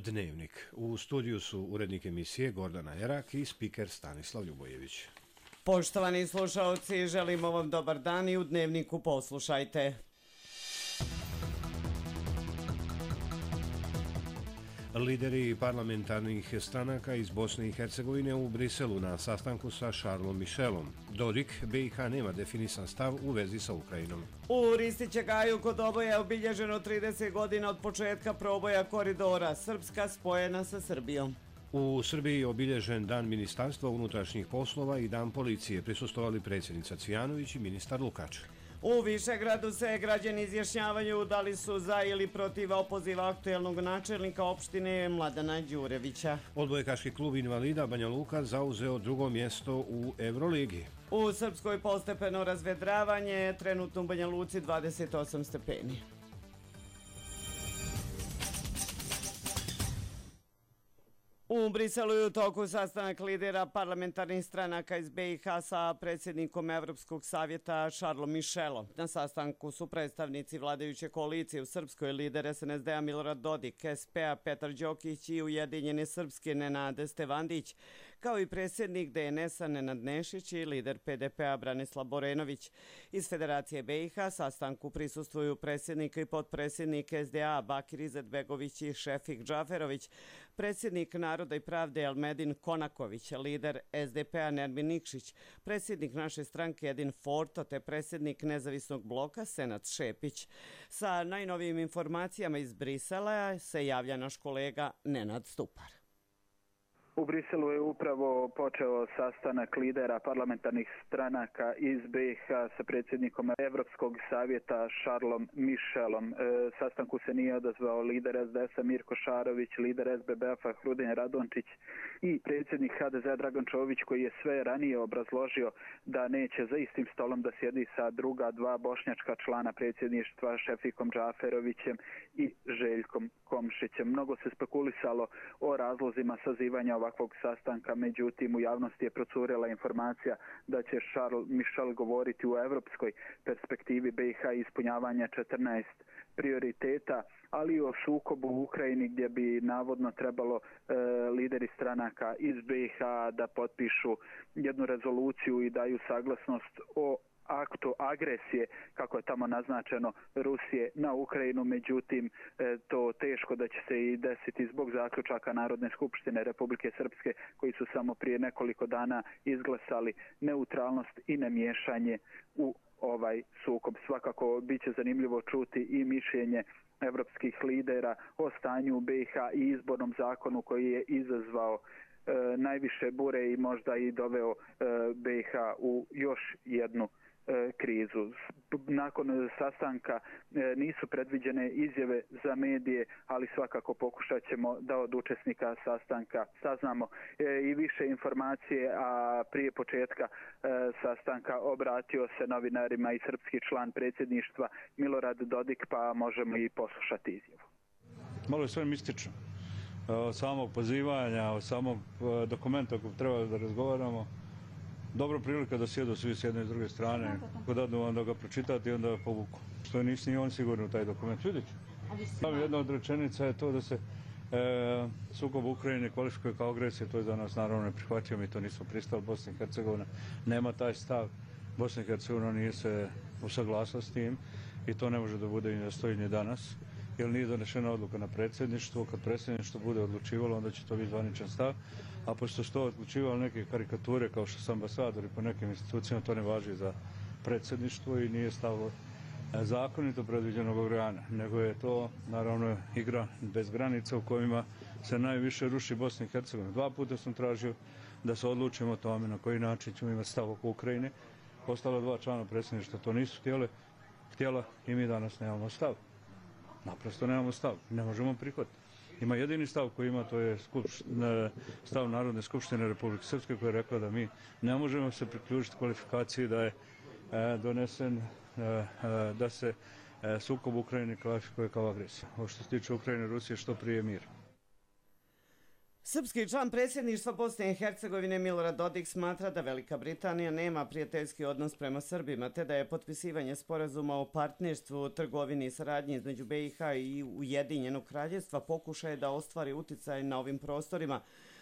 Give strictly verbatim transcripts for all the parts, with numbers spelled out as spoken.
Dnevnik. U studiju su urednik emisije Gordana Erak i spiker Stanislav Ljubojević. Poštovani slušalci, želimo vam dobar dan i u Dnevniku poslušajte. Lideri parlamentarnih stranaka iz Bosne i Hercegovine u Briselu na sastanku sa Charlesom Michelom. Dodik, B i H nema definisan stav u vezi sa Ukrajinom. U Ristićegaju kod oboja je obilježeno trideset godina od početka proboja koridora, Srpska spojena sa Srbijom. U Srbiji je obilježen Dan Ministarstva unutrašnjih poslova i Dan policije, prisustvovali predsjednica Cvijanović i ministar Lukač. U Višegradu se građani izjašnjavaju da li su za ili protiv opoziva aktuelnog načelnika opštine Mladena Đurevića. Odbojkaški klub invalida Banja Luka zauzeo drugo mjesto u Euroligi. U Srpskoj postepeno razvedravanje, trenutno u Banja Luci dvadeset osam stepeni. U Briselu je u toku sastanak lidera parlamentarnih stranaka iz B i H sa predsjednikom Evropskog savjeta Charlesom Michelom. Na sastanku su predstavnici vladajuće koalicije u Srpskoj, lider S N S D-a Milorad Dodik, S P A Petar Đokić i Ujedinjene Srpske Nenade Stevandić, kao i predsjednik D N S-a Nenad Nešić i lider P D P-a Branislav Borenović. Iz Federacije B i H sastanku prisustvuju predsjednik i potpredsjednik S D A Bakir Izetbegović i Šefik Džaferović, predsjednik Naroda i pravde Elmedin Konaković, lider S D P-a Nermin Nikšić, predsjednik naše stranke Edin Forto te predsjednik nezavisnog bloka Senad Šepić. Sa najnovijim informacijama iz Brisela se javlja naš kolega Nenad Stupar. U Briselu je upravo počeo sastanak lidera parlamentarnih stranaka iz B i H sa predsjednikom Evropskog savjeta Charlesom Michelom. E, sastanku se nije odazvao lider S D S-a Mirko Šarović, lider S B B F-a Hrudin Radončić i predsjednik H D Z-a Dragan Čović, koji je sve ranije obrazložio da neće za istim stolom da sjedi sa druga dva bošnjačka člana predsjedništva Šefikom Džaferovićem i Željkom Komšićem. Mnogo se spekulisalo o razlozima sazivanja ovakvog sastanka, međutim u javnosti je procurela informacija da će Charles Michel govoriti u evropskoj perspektivi B i H ispunjavanja četrnaest prioriteta, ali i o sukobu u Ukrajini gdje bi navodno trebalo e, lideri stranaka iz B i H da potpišu jednu rezoluciju i daju saglasnost o aktu agresije, kako je tamo naznačeno, Rusije na Ukrajinu, međutim to teško da će se i desiti zbog zaključaka Narodne skupštine Republike Srpske, koji su samo prije nekoliko dana izglasali neutralnost i nemiješanje u ovaj sukob. Svakako bit će zanimljivo čuti i mišljenje evropskih lidera o stanju u B i H i izbornom zakonu koji je izazvao e, najviše bure i možda i doveo e, B i H u još jednu krizu. Nakon sastanka nisu predviđene izjave za medije, ali svakako pokušat ćemo da od učesnika sastanka saznamo i više informacije, a prije početka sastanka obratio se novinarima i srpski član predsjedništva Milorad Dodik, pa možemo i poslušati izjavu. Malo je sve mistično. Od samog pozivanja, od samog dokumenta kojeg treba da razgovaramo, dobra prilika da sjedu svi s jedne i s druge strane, kod dadnu vam da ga pročitati i onda povuku. Što nisi ni on sigurno u taj dokument. Vidjet ću. Jedna od rečenica je to da se e, sukob u Ukrajini kvalifikuje kao agresija, to je za nas naravno neprihvatljivo, mi to nismo pristali. Bosna i Hercegovina nema taj stav, Bosna i Hercegovina nije se usaglasila s tim i to ne može da bude i da stoji ni danas, jer nije donešena odluka na predsjedništvu. Kad predsjedništvo bude odlučivalo, onda će to biti zvaničan stav, a pošto su to odlučivalo neke karikature kao što su ambasadori po nekim institucijama, to ne važi za predsjedništvo i nije stavilo zakonito predviđenog organa, nego je to naravno igra bez granica u kojima se najviše ruši Bosna i Hercegovina. Dva puta sam tražio da se odlučimo o tome na koji način ćemo imati stav oko Ukrajine. Ostala dva člana predsjedništva to nisu htjele, htjela i mi danas nemamo stav. Naprosto nemamo stav, ne možemo prihvatiti. Ima jedini stav koji ima, to je stav Narodne skupštine Republike Srpske, koja je rekla da mi ne možemo se priključiti kvalifikaciji da je donesen, da se sukob u Ukrajini kvalifikuje kao agresija. Ovo što se tiče Ukrajine i Rusije, što prije mir. Srpski član predsjedništva Bosne i Hercegovine Milorad Dodik smatra da Velika Britanija nema prijateljski odnos prema Srbima, te da je potpisivanje sporazuma o partnerstvu, trgovini i saradnji između B i H i Ujedinjenog kraljevstva pokušaje da ostvari uticaj na ovim prostorima.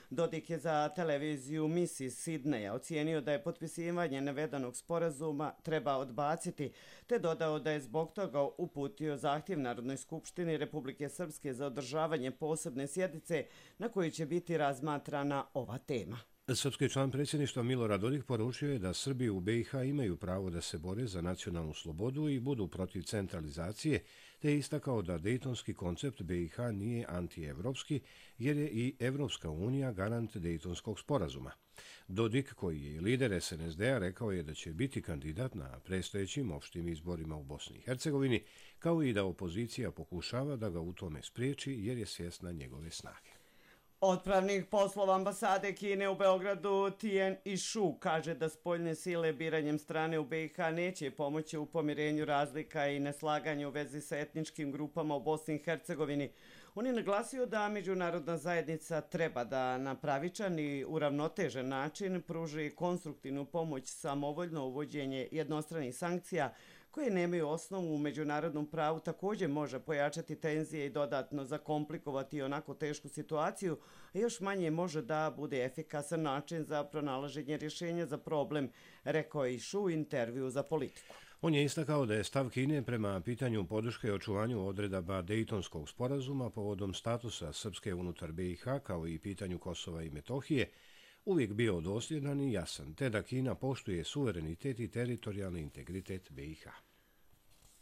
Dodik je za televiziju Missis Sidneja ocijenio da je potpisivanje navedenog sporazuma treba odbaciti, te dodao da je zbog toga uputio zahtjev Narodnoj skupštini Republike Srpske za održavanje posebne sjednice na kojoj će biti razmatrana ova tema. Srpski član predsjedništva Milorad Dodik poručio je da Srbi u B i H imaju pravo da se bore za nacionalnu slobodu i budu protiv centralizacije, te je istakao da dejtonski koncept B i H nije antievropski, jer je i Evropska unija garant dejtonskog sporazuma. Dodik, koji je lider S N S D-a, rekao je da će biti kandidat na predstojećim opštim izborima u Bosni i Hercegovini, kao i da opozicija pokušava da ga u tome spriječi jer je svjesna njegove snage. Otpravnik poslova ambasade Kine u Beogradu Tien Ishu kaže da spoljne sile biranjem strane u B i H neće pomoći u pomirenju razlika i neslaganja u vezi sa etničkim grupama u Bosni i Hercegovini. On je naglasio da međunarodna zajednica treba da na pravičan i uravnotežen način pruži konstruktivnu pomoć samovoljno uvođenje jednostranih sankcija koje nemaju osnovu u međunarodnom pravu također može pojačati tenzije i dodatno zakomplikovati onako tešku situaciju, a još manje može da bude efikasan način za pronalaženje rješenja za problem, rekao je Ishu u intervju za Politiku. On je istakao da je stav Kine prema pitanju podrške i očuvanju odredaba Dejtonskog sporazuma povodom statusa Srpske unutar B i H kao i pitanju Kosova i Metohije uvijek bio dosljedan i jasan, te da Kina poštuje suverenitet i teritorijalni integritet B i H.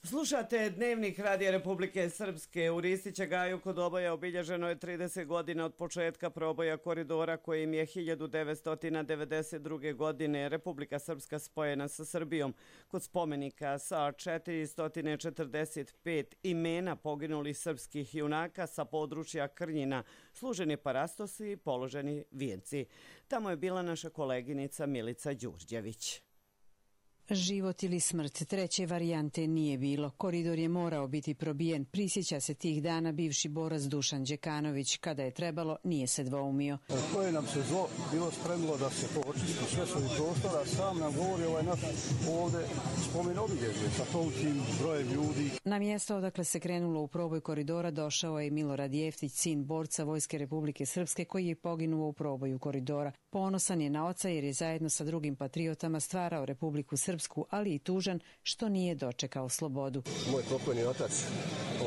Slušate Dnevnik Radija Republike Srpske. U Ristića Gaju kod Oboja obilježeno je trideset godina od početka proboja koridora kojim je hiljadu devetsto devedeset druge. godine Republika Srpska spojena sa Srbijom. Kod spomenika sa četiristo četrdeset pet imena poginulih srpskih junaka sa područja Krnjina služeni parastosi i položeni vijenci. Tamo je bila naša koleginica Milica Đurđević. Život ili smrt, treće varijante nije bilo. Koridor je morao biti probijen. Prisjeća se tih dana bivši borac Dušan Đekanović. Kada je trebalo, nije se dvoumio. Koje nam se zlo bilo spremilo da se to očisti sve svojih prostora, sam nam govori ovaj naš ovde spomen obilježje sa tolikim brojem ljudi. Na mjesto odakle se krenulo u proboj koridora došao je Milorad Jeftić, sin borca Vojske Republike Srpske koji je poginuo u proboju koridora. Ponosan je na oca jer je zajedno sa drugim patriotama stvarao Republiku Srpsku, ali i tužan što nije dočekao slobodu. Moj pokojni otac,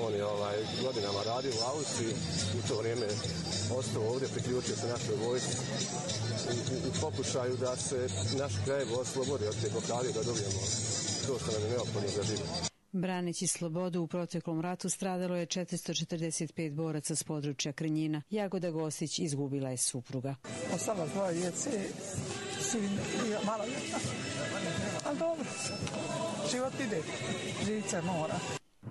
on je ovaj, godinama radio u Austriji, u to vrijeme ostao ovdje, priključio se našoj vojsci u, u pokušaju da se naš kraj oslobodi od te blokade, da dobijemo to što nam je neophodno za život. Braneći slobodu u proteklom ratu stradalo je četiristo četrdeset pet boraca s područja Krnjina. Jagoda Gostić izgubila je supruga. Ostalo dvoje djece, sin i malo jedna. Ali dobro, život ide, živit se mora.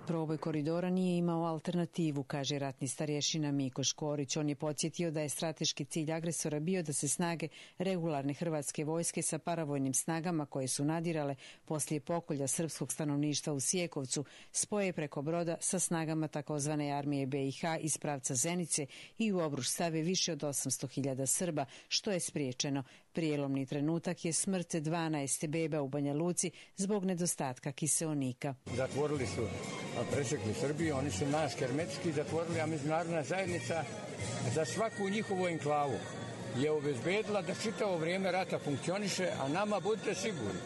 Proboj koridora nije imao alternativu, kaže ratni starješina Miko Škorić. On je podsjetio da je strateški cilj agresora bio da se snage regularne hrvatske vojske sa paravojnim snagama koje su nadirale poslije pokolja srpskog stanovništva u Sjekovcu spoje preko broda sa snagama takozvane armije B i H iz pravca Zenice i u obruč stave više od osamsto hiljada Srba, što je spriječeno. Prijelomni trenutak je smrt dvanaest beba u Banja Luci zbog nedostatka kiseonika. Zatvorili su, presekli Srbiju, oni su nas hermetski zatvorili, a međunarodna zajednica za svaku njihovu enklavu je obezbedila da čitavo vrijeme rata funkcioniše, a nama budite sigurni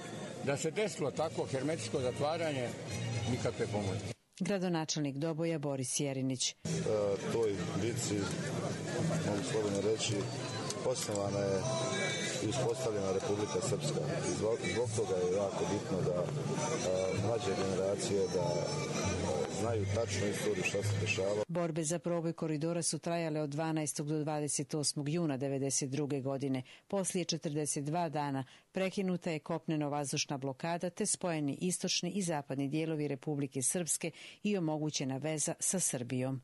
da se desilo tako hermetsko zatvaranje, nikakve pomoći. Gradonačelnik Doboja Boris Jerinić. E, toj bitci, mogu slobodno reći, osnovana je i uspostavljena Republika Srpska. I zbog, zbog toga je jako bitno da a, mlađe generacije da a, znaju tačno istoriju šta se dešava. Borbe za proboj koridora su trajale od dvanaestog do dvadeset osmog juna devedeset druge. godine. Poslije četrdeset dva dana prekinuta je kopneno-vazdušna blokada te spojeni istočni i zapadni dijelovi Republike Srpske i omogućena veza sa Srbijom.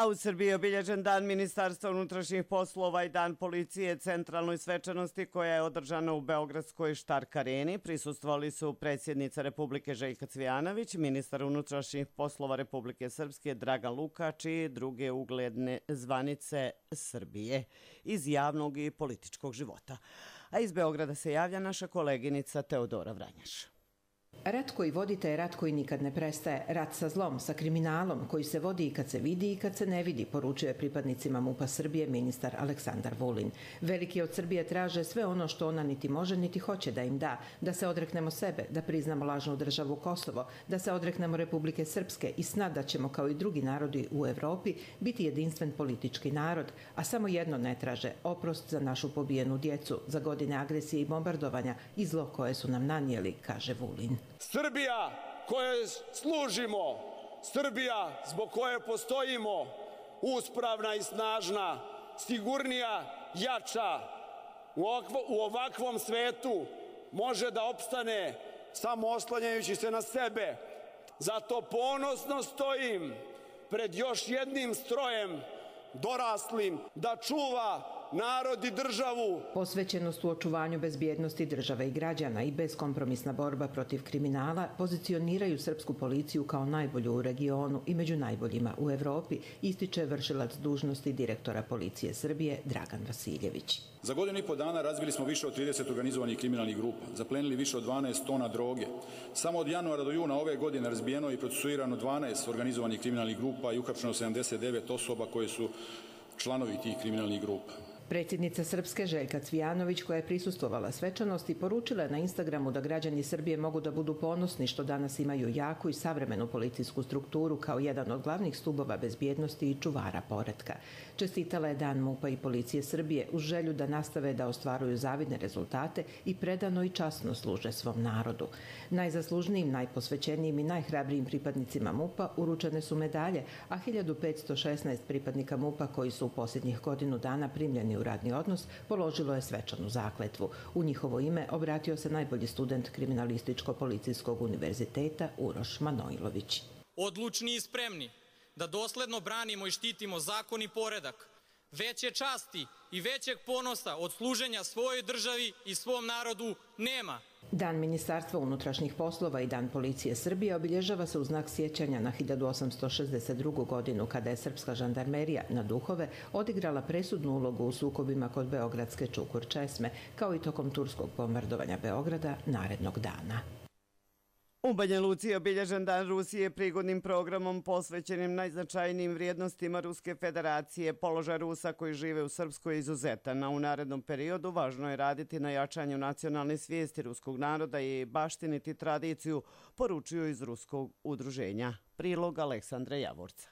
A u Srbiji je obilježen dan Ministarstva unutrašnjih poslova i dan policije centralnoj svečanosti koja je održana u Beogradskoj Štark areni. Prisustvovali su predsjednica Republike Željka Cvijanović, ministar unutrašnjih poslova Republike Srpske Dragan Lukač i druge ugledne zvanice Srbije iz javnog i političkog života. A iz Beograda se javlja naša koleginica Teodora Vranjaš. Rat koji vodite je rat koji nikad ne prestaje. Rat sa zlom, sa kriminalom, koji se vodi i kad se vidi i kad se ne vidi, poručuje pripadnicima MUP-a Srbije ministar Aleksandar Vulin. Veliki od Srbije traže sve ono što ona niti može niti hoće da im da. Da se odreknemo sebe, da priznamo lažnu državu Kosovo, da se odreknemo Republike Srpske i sna da ćemo kao i drugi narodi u Evropi biti jedinstven politički narod. A samo jedno ne traže, oprost za našu pobijenu djecu, za godine agresije i bombardovanja i zlo koje su nam nanijeli, kaže Vulin. Srbija kojoj služimo, Srbija zbog koje postojimo, uspravna i snažna, sigurnija, jača, u ovakvom svetu može da opstane samo oslanjajući se na sebe. Zato ponosno stojim pred još jednim strojem doraslim da čuva narod i državu. Posvećenost u očuvanju bezbjednosti države i građana i beskompromisna borba protiv kriminala pozicioniraju srpsku policiju kao najbolju u regionu i među najboljima u Evropi, ističe vršilac dužnosti direktora Policije Srbije Dragan Vasiljević. Za godinu i po dana razbili smo više od trideset organizovanih kriminalnih grupa, zaplenili više od dvanaest tona droge. Samo od januara do juna ove godine razbijeno i procesuirano dvanaest organizovanih kriminalnih grupa i uhapšeno sedamdeset devet osoba koje su članovi tih kriminalnih grupa. Predsjednica Srpske Željka Cvijanović, koja je prisustvovala svečanosti, poručila je na Instagramu da građani Srbije mogu da budu ponosni što danas imaju jaku i savremenu policijsku strukturu kao jedan od glavnih stubova bezbjednosti i čuvara poretka. Čestitala je Dan MUP-a i Policije Srbije uz želju da nastave da ostvaruju zavidne rezultate i predano i časno služe svom narodu. Najzaslužnijim, najposvećenijim i najhrabrijim pripadnicima MUP-a uručene su medalje, a hiljadu petsto šesnaest pripadnika MUP-a koji su u posljednjih godinu dana primljeni u radni odnos položilo je svečanu zakletvu. U njihovo ime obratio se najbolji student Kriminalističko-policijskog univerziteta Uroš Manojlović. Odlučni i spremni da dosledno branimo i štitimo zakon i poredak, veće časti i većeg ponosa od služenja svojoj državi i svom narodu nema. Dan Ministarstva unutrašnjih poslova i Dan Policije Srbije obilježava se u znak sjećanja na hiljadu osamsto šezdeset drugu godinu kada je srpska žandarmerija na Duhove odigrala presudnu ulogu u sukobima kod beogradske Čukur česme, kao i tokom turskog bombardovanja Beograda narednog dana. U Banja Luci je obilježen Dan Rusije prigodnim programom posvećenim najznačajnijim vrijednostima Ruske federacije. Položaj Rusa koji žive u Srpskoj je izuzetan, a u narednom periodu važno je raditi na jačanju nacionalne svijesti ruskog naroda i baštiniti tradiciju, poručuju iz Ruskog udruženja. Prilog Aleksandra Javorca.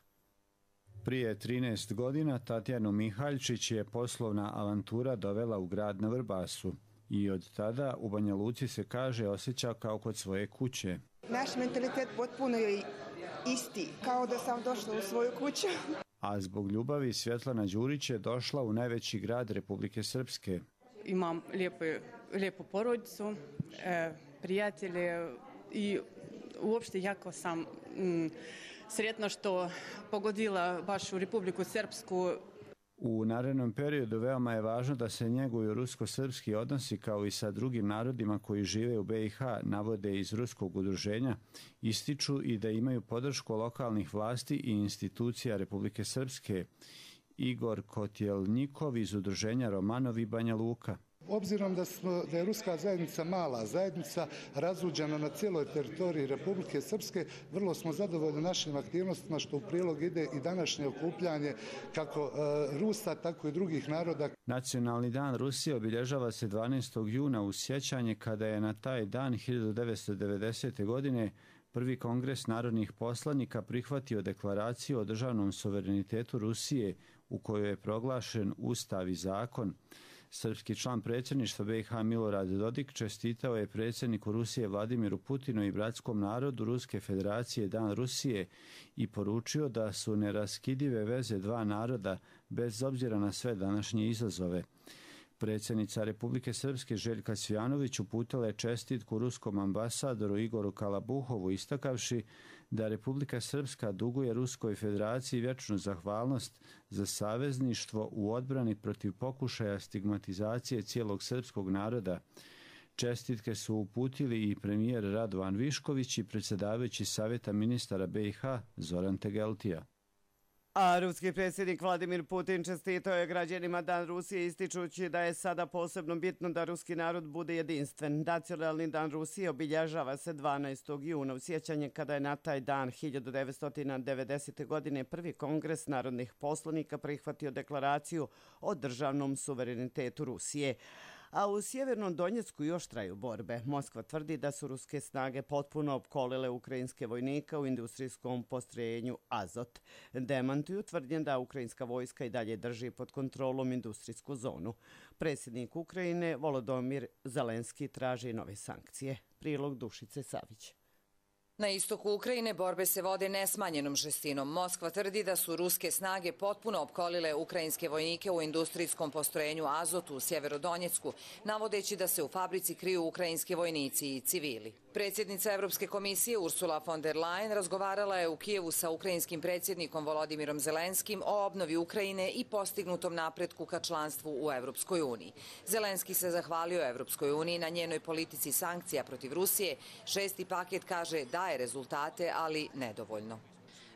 Prije trinaest godina Tatjanu Mihaljčić je poslovna avantura dovela u grad na Vrbasu. I od tada u Banja Luci se kaže osjeća kao kod svoje kuće. Naš mentalitet potpuno je isti, kao da sam došla u svoju kuću. A zbog ljubavi Svjetlana Đurić je došla u najveći grad Republike Srpske. Imam lijepu, lijepu porodicu, e, prijatelje i uopšte jako sam m, sretna što pogodila baš u Republiku Srpsku. U narednom periodu veoma je važno da se njeguju rusko-srpski odnosi kao i sa drugim narodima koji žive u B i H, navode iz Ruskog udruženja, ističu i da imaju podršku lokalnih vlasti i institucija Republike Srpske. Igor Kotjelnikov iz udruženja Romanov i Banja Luka. Obzirom da, smo, da je ruska zajednica mala zajednica, razuđena na cijeloj teritoriji Republike Srpske, vrlo smo zadovoljni našim aktivnostima što u prilog ide i današnje okupljanje kako e, Rusa, tako i drugih naroda. Nacionalni dan Rusije obilježava se dvanaestog juna u sjećanje kada je na taj dan hiljadu devetsto devedesete. godine prvi kongres narodnih poslanika prihvatio deklaraciju o državnom suverenitetu Rusije u kojoj je proglašen ustav i zakon. Srpski član predsjedništva B i H Milorad Dodik čestitao je predsjedniku Rusije Vladimiru Putinu i bratskom narodu Ruske federacije Dan Rusije i poručio da su neraskidive veze dva naroda bez obzira na sve današnje izazove. Predsjednica Republike Srpske Željka Cvijanović uputila je čestitku ruskom ambasadoru Igoru Kalabuhovu istakavši da Republika Srpska duguje Ruskoj federaciji vječnu zahvalnost za savezništvo u odbrani protiv pokušaja stigmatizacije cijelog srpskog naroda. Čestitke su uputili i premijer Radovan Višković i predsjedavajući Savjeta ministara be i ha Zoran Tegeltija. A ruski predsjednik Vladimir Putin čestitao je građanima Dan Rusije ističući da je sada posebno bitno da ruski narod bude jedinstven. Nacionalni dan Rusije obilježava se dvanaestog juna u sjećanje kada je na taj dan hiljadu devetsto devedesete. godine prvi kongres narodnih poslanika prihvatio deklaraciju o državnom suverenitetu Rusije. A u Sjevernom Donjecku još traju borbe. Moskva tvrdi da su ruske snage potpuno opkolile ukrajinske vojnika u industrijskom postrojenju Azot. Demantuju tvrdnje da ukrajinska vojska i dalje drži pod kontrolom industrijsku zonu. Predsjednik Ukrajine Volodymyr Zelenski traži nove sankcije. Prilog Dušice Savić. Na istoku Ukrajine borbe se vode nesmanjenom žestinom. Moskva tvrdi da su ruske snage potpuno opkolile ukrajinske vojnike u industrijskom postrojenju Azot u Sjeverodonjecku, navodeći da se u fabrici kriju ukrajinski vojnici i civili. Predsjednica Evropske komisije Ursula von der Leyen razgovarala je u Kijevu sa ukrajinskim predsjednikom Volodimirom Zelenskim o obnovi Ukrajine i postignutom napretku ka članstvu u Evropskoj uniji. Zelenski se zahvalio Evropskoj uniji na njenoj politici sankcija protiv Rusije. Šesti paket kaže da daje rezultate, ali nedovoljno.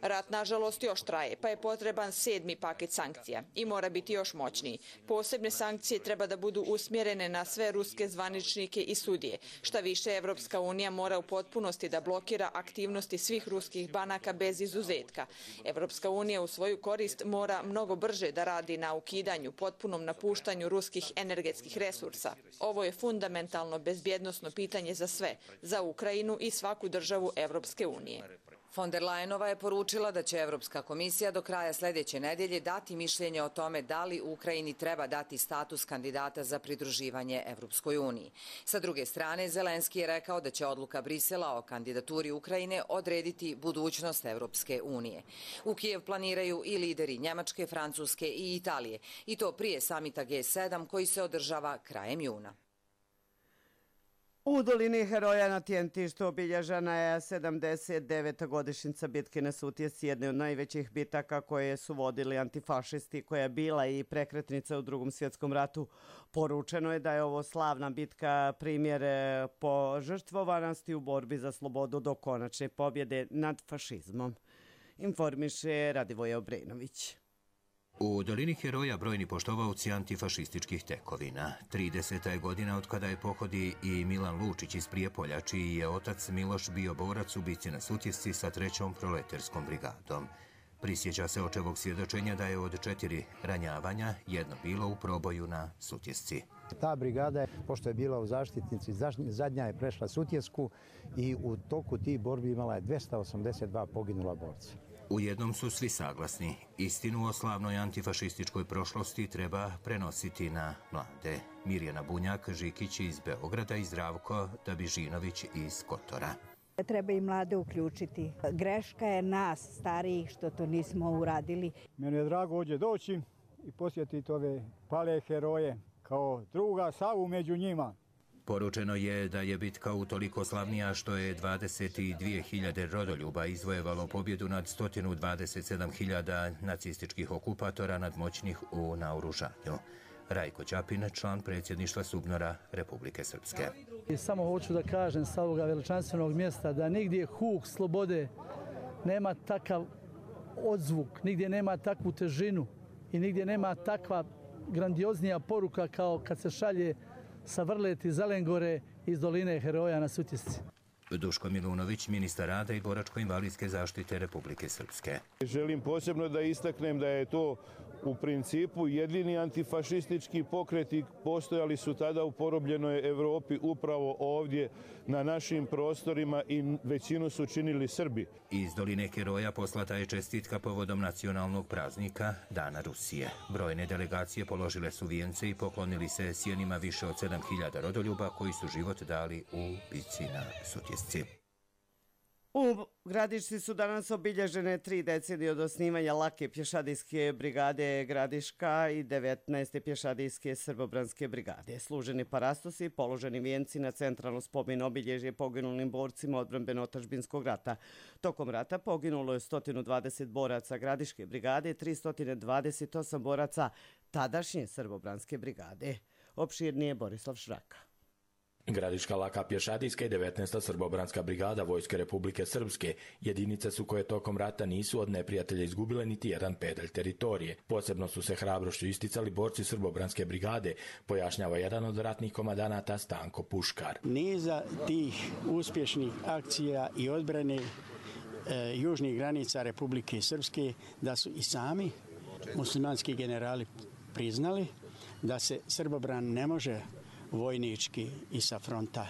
Rat, nažalost, još traje, pa je potreban sedmi paket sankcija i mora biti još moćniji. Posebne sankcije treba da budu usmjerene na sve ruske zvaničnike i sudije. Šta više, Evropska unija mora u potpunosti da blokira aktivnosti svih ruskih banaka bez izuzetka. Evropska unija u svoju korist mora mnogo brže da radi na ukidanju, potpunom napuštanju ruskih energetskih resursa. Ovo je fundamentalno bezbjednosno pitanje za sve, za Ukrajinu i svaku državu Evropske unije. Von der Leyenova je poručila da će Evropska komisija do kraja sljedeće nedjelje dati mišljenje o tome da li Ukrajini treba dati status kandidata za pridruživanje Evropskoj uniji. Sa druge strane, Zelenski je rekao da će odluka Brisela o kandidaturi Ukrajine odrediti budućnost Evropske unije. U Kijev planiraju i lideri Njemačke, Francuske i Italije, i to prije samita G sedam koji se održava krajem juna. U dolini Heroja na Tjentištu obilježena je sedamdeset deveta godišnjica bitke na Sutjesci, jedne od najvećih bitaka koje su vodili antifašisti, koja je bila i prekretnica u Drugom svjetskom ratu. Poručeno je da je ovo slavna bitka primjer požrtvovanosti u borbi za slobodu do konačne pobjede nad fašizmom. Informiše Radivoje Obrenović. U dolini Heroja brojni poštovaoci antifašističkih tekovina. trideseta je godina od kada je pohodi i Milan Lučić iz Prijepolja, čiji je otac Miloš bio borac u bici na Sutjesci sa trećom proleterskom brigadom. Prisjeća se očevog svjedočenja da je od četiri ranjavanja jedno bilo u proboju na Sutjesci. Ta brigada, pošto je bila u zaštitnici, zadnja je prešla Sutjesku i u toku tih borbi imala je dvjesto osamdeset dva poginula borca. U jednom su svi saglasni. Istinu o slavnoj antifašističkoj prošlosti treba prenositi na mlade. Mirjana Bunjak-Žikić iz Beograda i Zdravko Dabižinović iz Kotora. Treba i mlade uključiti. Greška je nas, starijih, što to nismo uradili. Meni je drago ovdje doći i posjetiti ove pale heroje kao druga Savu među njima. Poručeno je da je bitka utoliko slavnija što je dvadeset dvije hiljade rodoljuba izvojevalo pobjedu nad sto dvadeset sedam hiljada nacističkih okupatora nadmoćnih u naoružanju. Rajko Ćapin, član predsjedništva SUBNOR-a Republike Srpske. I samo hoću da kažem sa ovoga veličanstvenog mjesta da nigdje huk slobode nema takav odzvuk, nigdje nema takvu težinu i nigdje nema takva grandioznija poruka kao kad se šalje sa Vrleti Zelengore iz doline Heroja na Sutjesci. Duško Milunović, ministar rada i boračko-invalidske zaštite Republike Srpske. Želim posebno da istaknem da je to u principu jedini antifašistički pokreti postojali su tada u porobljenoj Evropi upravo ovdje na našim prostorima i većinu su činili Srbi. Iz doline Heroja poslata je čestitka povodom nacionalnog praznika Dana Rusije. Brojne delegacije položile su vijence i poklonili se sjenima više od sedam hiljada rodoljuba koji su život dali u bici na Sutjesci. U Gradišci su danas obilježene tri decenije od osnivanja lake pješadijske brigade Gradiška i devetnaeste pješadijske srbobranske brigade. Služeni parastosi, položeni vijenci na centralno spomen obilježje poginulim borcima odbrambeno-otadžbinskog rata. Tokom rata poginulo je sto dvadeset boraca Gradiške brigade, tristo dvadeset osam boraca tadašnje srbobranske brigade. Opširnije Borislav Šraka. Gradiška laka pješadijska i devetnaesta srbobranska brigada Vojske Republike Srpske jedinice su koje tokom rata nisu od neprijatelja izgubile niti jedan pedalj teritorije. Posebno su se hrabrošću isticali borci srbobranske brigade, pojašnjava jedan od ratnih komandanata Stanko Puškar. Niza tih uspješnih akcija i odbrane e, južnih granica Republike Srpske da su i sami muslimanski generali priznali da se Srbobran ne može vojnički i sa fronta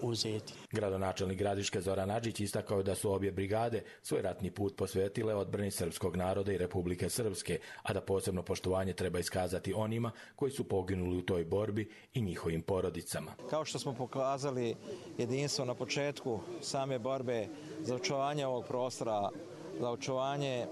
uzeti. Gradonačelnik Gradiške Zoran Adžić istakao da su obje brigade svoj ratni put posvetile odbrani srpskog naroda i Republike Srpske, a da posebno poštovanje treba iskazati onima koji su poginuli u toj borbi i njihovim porodicama. Kao što smo pokazali jedinstvo na početku same borbe za očuvanje ovog prostora, za očuvanje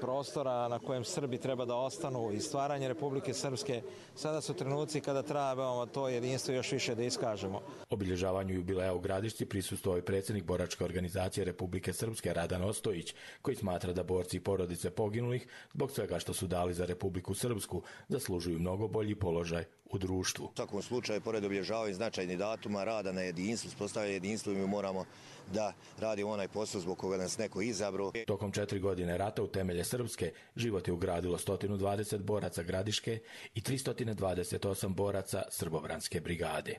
prostora na kojem Srbi treba da ostanu i stvaranje Republike Srpske, sada su trenuci kada trebamo to jedinstvo još više da iskažemo. Obilježavanju jubileja u Gradišci prisustvovao je predsjednik boračke organizacije Republike Srpske Radan Ostojić, koji smatra da borci i porodice poginulih, zbog svega što su dali za Republiku Srpsku, zaslužuju mnogo bolji položaj u društvu. U svakom slučaju, pored obilježavanja značajnih datuma, rada na jedinstvu, uspostavljanja jedinstva, mi moramo da radimo onaj posao zbog koga nas neko izabrao. Tokom četiri godine rata u temelje Srpske život je ugradilo sto dvadeset boraca Gradiške i tristo dvadeset osam boraca Srbobranske brigade.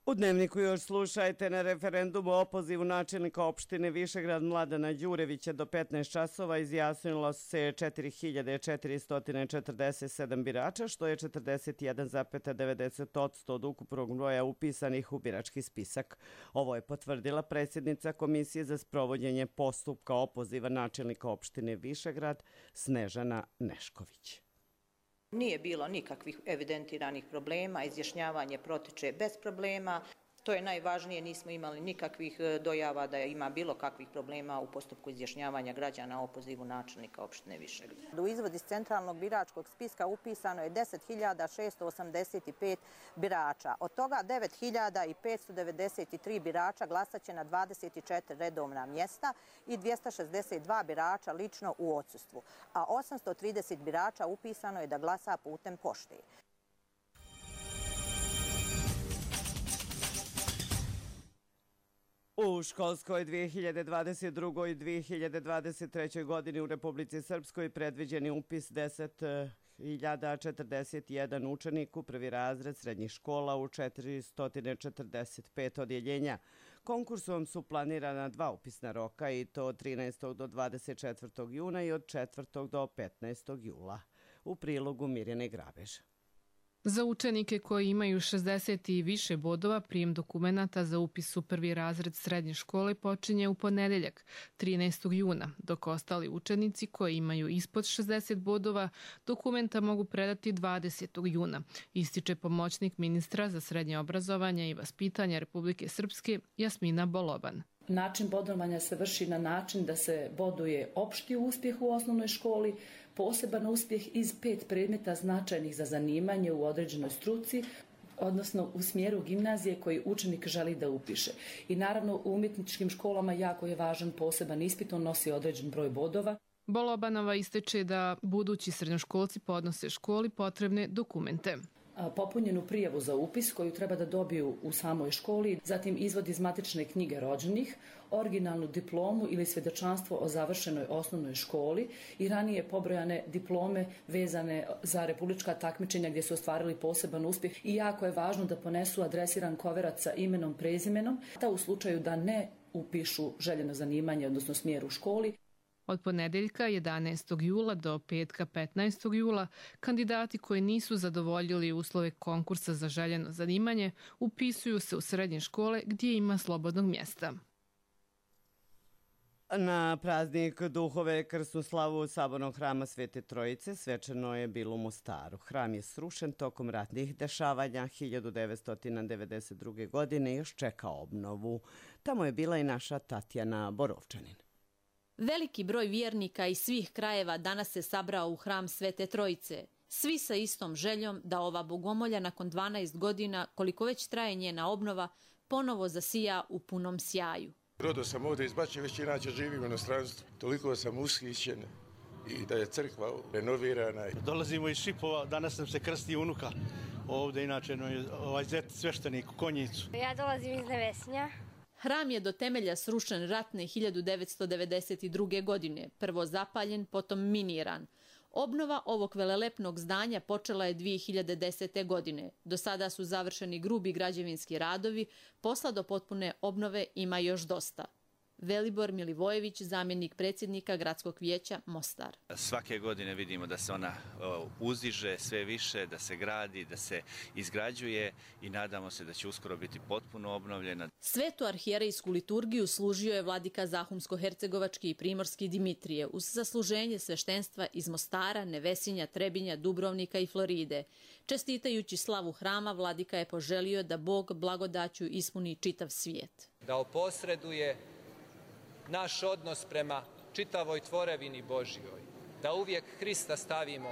U Dnevniku još slušajte. Na referendumu o opozivu načelnika opštine Višegrad Mladena Đurevića do petnaest časova izjasnilo se četiri hiljade četiristo četrdeset sedam birača, što je četrdeset jedan zarez devedeset posto od ukupnog broja upisanih u birački spisak. Ovo je potvrdila predsjednica Komisije za sprovođenje postupka opoziva načelnika opštine Višegrad Snežana Nešković. Nije bilo nikakvih evidentiranih problema, izjašnjavanje protiče bez problema. To je najvažnije, nismo imali nikakvih dojava da ima bilo kakvih problema u postupku izjašnjavanja građana o opozivu načelnika opštine Višegrad. U izvod iz centralnog biračkog spiska upisano je deset hiljada šesto osamdeset pet birača. Od toga devet hiljada petsto devedeset tri birača glasaće na dvadeset četiri redovna mjesta i dvjesto šezdeset dva birača lično u odsustvu, a osamsto trideset birača upisano je da glasa putem pošte. U školskoj dvije hiljade dvadeset drugoj i dvije hiljade dvadeset trećoj godini u Republici Srpskoj predviđen je upis deset hiljada četrdeset jedan učenik u prvi razred srednjih škola u četiristo četrdeset pet odjeljenja. Konkursom su planirana dva upisna roka i to od trinaestog do dvadeset četvrtog juna i od četvrtog do petnaestog jula. U prilogu Mirjane Grabež. Za učenike koji imaju šezdeset i više bodova, prijem dokumenata za upis u prvi razred srednje škole počinje u ponedeljak, trinaestog juna, dok ostali učenici koji imaju ispod šezdeset bodova dokumenta mogu predati dvadesetog juna, ističe pomoćnik ministra za srednje obrazovanje i vaspitanje Republike Srpske Jasmina Boloban. Način bodovanja se vrši na način da se boduje opšti uspjeh u osnovnoj školi, poseban uspjeh iz pet predmeta značajnih za zanimanje u određenoj struci, odnosno u smjeru gimnazije koji učenik želi da upiše. I naravno u umjetničkim školama jako je važan poseban ispit, on nosi određen broj bodova. Bolobanova ističe da budući srednjoškolci podnose školi potrebne dokumente. Popunjenu prijavu za upis koju treba da dobiju u samoj školi, zatim izvod iz matične knjige rođenih, originalnu diplomu ili svjedočanstvo o završenoj osnovnoj školi i ranije pobrojane diplome vezane za republička takmičenja gdje su ostvarili poseban uspjeh i jako je važno da ponesu adresiran koverac sa imenom, prezimenom, da u slučaju da ne upišu željeno zanimanje, odnosno smjer u školi. Od ponedeljka jedanaestog jula do petka petnaestog jula kandidati koji nisu zadovoljili uslove konkursa za željeno zanimanje upisuju se u srednje škole gdje ima slobodnog mjesta. Na praznik Duhove krsnu slavu Sabornog hrama Svete Trojice svečano je bilo u Mostaru. Hram je srušen tokom ratnih dešavanja hiljadu devetsto devedeset druge. godine i još čeka obnovu. Tamo je bila i naša Tatjana Borovčanin. Veliki broj vjernika iz svih krajeva danas se sabrao u hram Svete Trojice. Svi sa istom željom da ova bogomolja nakon dvanaest godina, koliko već traje njena obnova, ponovo zasija u punom sjaju. Rodo sam ovdje iz Bačke, već inače živim u inostranstvu. Toliko sam ushićen i da je crkva renovirana. Dolazimo iz Šipova, danas nam se krsti unuka. Ovdje inače ovaj zet sveštenik u Konjicu. Ja dolazim iz Nevesinja. Hram je do temelja srušen ratne hiljadu devetsto devedeset druge. godine, prvo zapaljen, potom miniran. Obnova ovog velelepnog zdanja počela je dvije hiljade desete. godine. Do sada su završeni grubi građevinski radovi, posla do potpune obnove ima još dosta. Velibor Milivojević, zamjenik predsjednika Gradskog vijeća Mostar. Svake godine vidimo da se ona uzdiže sve više, da se gradi, da se izgrađuje i nadamo se da će uskoro biti potpuno obnovljena. Svetu arhijerejsku liturgiju služio je vladika Zahumsko-hercegovački i primorski Dimitrije uz zasluženje sveštenstva iz Mostara, Nevesinja, Trebinja, Dubrovnika i Floride. Čestitajući slavu hrama, vladika je poželio da Bog blagodaću ispuni čitav svijet. Da oposreduje naš odnos prema čitavoj tvorevini Božjoj, da uvijek Hrista stavimo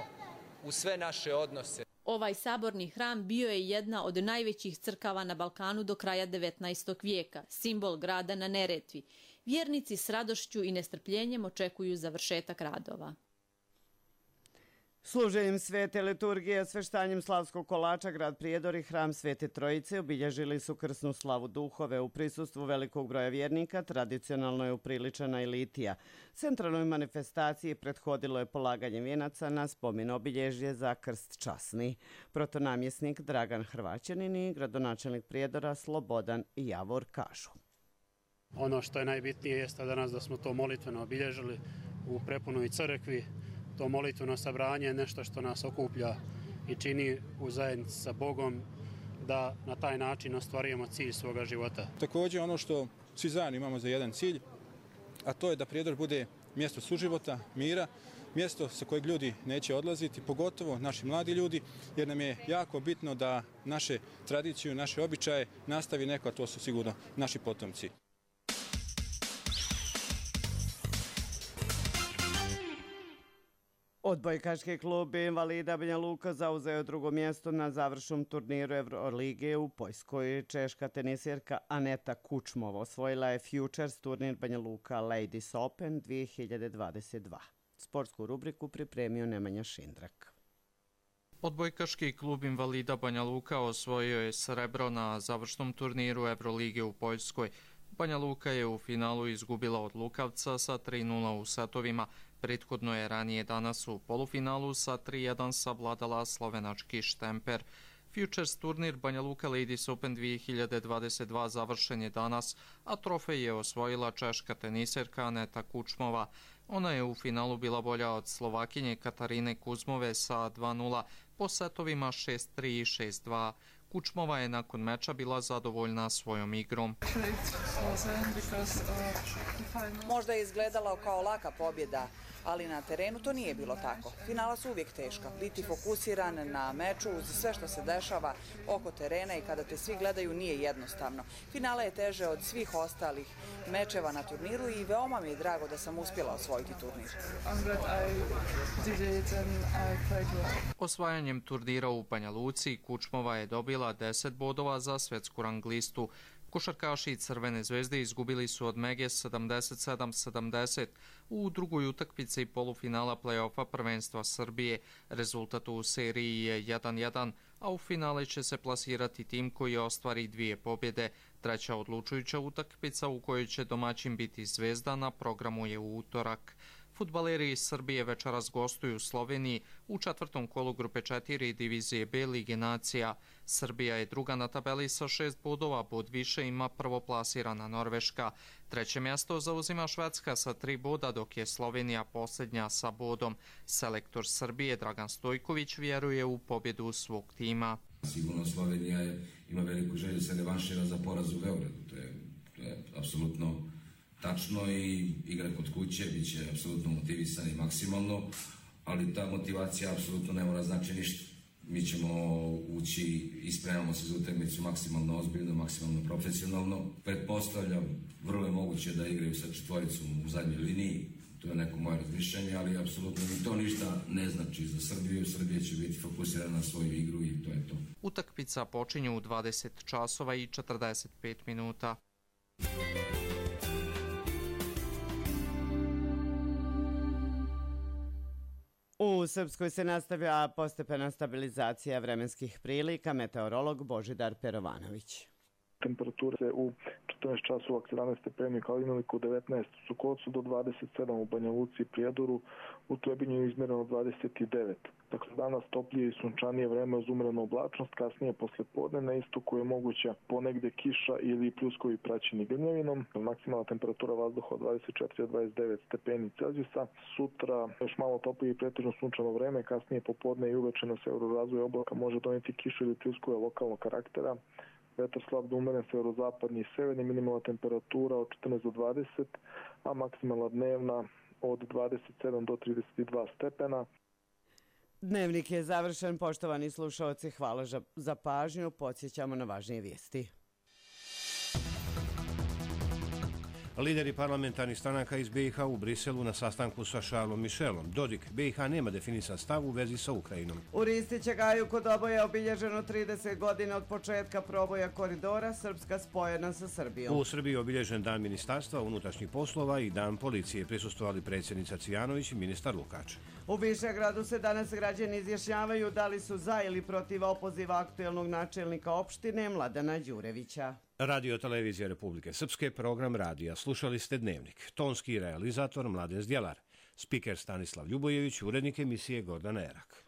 u sve naše odnose. Ovaj saborni hram bio je jedna od najvećih crkava na Balkanu do kraja devetnaestog. vijeka, simbol grada na Neretvi. Vjernici s radošću i nestrpljenjem očekuju završetak radova. Služenjem svete liturgije, sveštanjem slavskog kolača, grad Prijedor i hram Svete Trojice obilježili su krsnu slavu Duhove. U prisustvu velikog broja vjernika tradicionalno je upriličena i litija. Centralnoj manifestaciji prethodilo je polaganje vijenaca na spomen obilježje za krst časni. Protonamjesnik Dragan Hrvaćanin i gradonačelnik Prijedora Slobodan i Javor kažu. Ono što je najbitnije jeste danas da smo to molitveno obilježili u prepunoj crkvi. To molitveno sabranje je nešto što nas okuplja i čini u zajednici sa Bogom da na taj način ostvarujemo cilj svoga života. Također ono što svi zajedno imamo za jedan cilj, a to je da Prijedor bude mjesto suživota, mira, mjesto sa kojeg ljudi neće odlaziti, pogotovo naši mladi ljudi, jer nam je jako bitno da naše tradiciju, naše običaje nastavi neko, a to su sigurno naši potomci. Odbojkaški klub invalida Banja Luka zauzeo drugo mjesto na završnom turniru Evrolige u Poljskoj. Češka tenisirka Aneta Kučmova osvojila je Futures turnir Banja Luka Ladies Open dvije hiljade dvadeset dva. Sportsku rubriku pripremio Nemanja Šindrak. Odbojkaški klub invalida Banja Luka osvojio je srebro na završnom turniru Evrolige u Poljskoj. Banja Luka je u finalu izgubila od Lukavca sa tri nula u setovima. Prethodno je ranije danas u polufinalu sa tri jedan savladala slovenački Štemper. Futures turnir Banja Luka Ladies Open dvije hiljade dvadeset dva završen je danas, a trofej je osvojila češka teniserka Aneta Kučmova. Ona je u finalu bila bolja od Slovakinje Katarine Kuzmove sa dva nula po setovima šest tri i šest dva. Kučmova je nakon meča bila zadovoljna svojom igrom. Možda je izgledala kao laka pobjeda, ali na terenu to nije bilo tako. Finala su uvijek teška. Biti fokusiran na meču uz sve što se dešava oko terena i kada te svi gledaju nije jednostavno. Finala je teže od svih ostalih mečeva na turniru i veoma mi je drago da sam uspjela osvojiti turnir. Osvajanjem turnira u Banja Luci Kučmova je dobila deset bodova za svjetsku rang listu. Košarkaši Crvene zvezde izgubili su od Mege sedamdeset sedam sedamdeset u drugoj utakmici polufinala play-offa prvenstva Srbije. Rezultat u seriji je jedan jedan, a u finale će se plasirati tim koji ostvari dvije pobjede. Treća odlučujuća utakmica u kojoj će domaćin biti Zvezda na programu je u utorak. Fudbaleri iz Srbije večeras gostuju u Sloveniji u četvrtom kolu grupe četiri divizije B Lige nacija. Srbija je druga na tabeli sa šest bodova, bod više ima prvoplasirana Norveška. Treće mjesto zauzima Švedska sa tri boda, dok je Slovenija posljednja sa bodom. Selektor Srbije Dragan Stojković vjeruje u pobjedu svog tima. Sigurno Slovenija je, ima veliku želju se revanšira za poraz u Beogradu. To je, to je apsolutno tačno i igra kod kuće, bit će apsolutno motivisani maksimalno, ali ta motivacija apsolutno ne mora znači ništa. Mi ćemo ući i spremamo se za utakmicu maksimalno ozbiljno, maksimalno profesionalno. Pretpostavljam, vrlo je moguće da igraju sa četvoricom u zadnjoj liniji, to je neko moje razmišljanje, ali apsolutno mi to ništa ne znači za Srbiju. Srbija će biti fokusirana na svoju igru i to je to. Utakmica počinje u dvadeset časova i četrdeset pet minuta. U Srpskoj se nastavlja postepena stabilizacija vremenskih prilika, meteorolog Božidar Perovanović. Temperature se u četrnaest časova sedamnaest stepeni u Kaliniliku, devetnaest u Sukocu do dvadeset sedam u Banja Luci i Prijedoru, u Trebinju izmjereno dvadeset devet. Dakle, danas toplije i sunčanije vreme uz umerenu oblačnost, kasnije posle podne na istoku je moguća ponegde kiša ili pljuskovi praćeni grmljavinom. Maksimalna temperatura vazduha od dvadeset četiri do dvadeset devet stepeni Celzijusa. Sutra još malo toplije i pretežno sunčano vreme, kasnije popodne i uveče na severu razvoja oblaka može doneti kišu ili pljuskove lokalnog karaktera. Vetar slab do umeren severozapadni i severni, minimalna temperatura od četrnaest do dvadeset, a maksimalna dnevna od dvadeset sedam do trideset dva stepena. Dnevnik je završen, poštovani slušalci, hvala za pažnju, podsjećamo na važnije vijesti. Lideri parlamentarnih stranaka iz B i H u Briselu na sastanku sa Charlesom Michelom. Dodik, B i H nema definisan stav u vezi sa Ukrajinom. U Ristićegaju kod oboja je obilježeno trideset godina od početka proboja koridora Srpska spojena sa Srbijom. U Srbiji je obilježen dan ministarstva unutrašnjih poslova i dan policije. Prisustvovali predsjednica Cvijanović i ministar Lukač. U Višegradu se danas građani izjašnjavaju da li su za ili protiv opoziva aktuelnog načelnika opštine Mladena Đurevića. Radio Televizija Republike Srpske, program radija. Slušali ste Dnevnik. Tonski realizator Mladen Zdjelar. Spiker Stanislav Ljubojević, urednik emisije Gordana Erak.